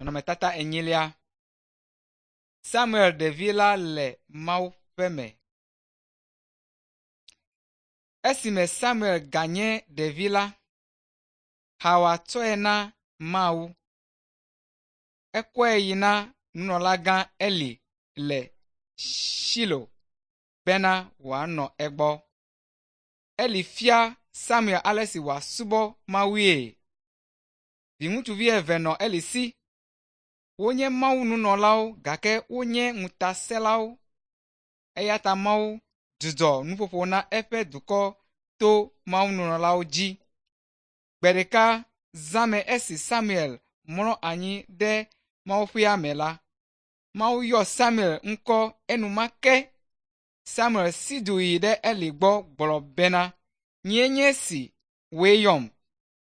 Nɔnɔmetata enyilia. Samuel ɖevi la le Mawu ƒe me. Esime Samuel ganye ɖevi la, Xawa tsɔe na Mawu. Ekɔe yi na nunɔlagã Eli le Shilo bena wòanɔ egbɔ. Eli fia Samuel ale si wòasubɔ Mawue. Viŋutsuvi eve nɔ Eli si. Wonye Mawu nunɔlawo gake wonye ŋutasẽlawo. Eya ta Mawu dzudzɔ nuƒoƒo na eƒe dukɔ to Mawu nunɔlawo dzi. Gbe ɖeka zãme esi Samuel mlɔ anyi ɖe Mawuƒea me la, Mawu yɔ Samuel ŋkɔ enumake. Samuel si du yi ɖe Eli gbɔ gblɔ bena, “Nyee nye esi, wòe yɔm.”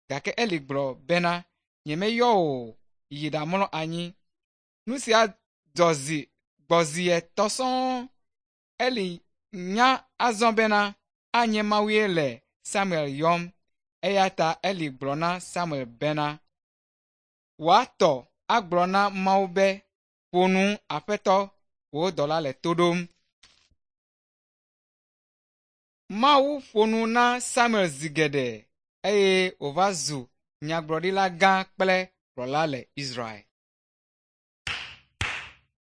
Gake Eli gblɔ bena, “Nyemeyɔ wò o, yi ɖamlɔ anyi.” Nu sia dzɔ zi gbɔ zi etɔ̃ sɔŋ. Eli nya azɔ bena anye Mawue le Samuel yɔm eya ta Eli gblɔ na Samuel bena, “Wòatɔ agblɔ na Mawu be, ‘Ƒo nu, Aƒetɔ, wò dɔla le to ɖom.’ ” Mawu ƒo nu na Samuel zi geɖe eye wòva zu nyagblɔɖila gã kple kplɔla le Israel.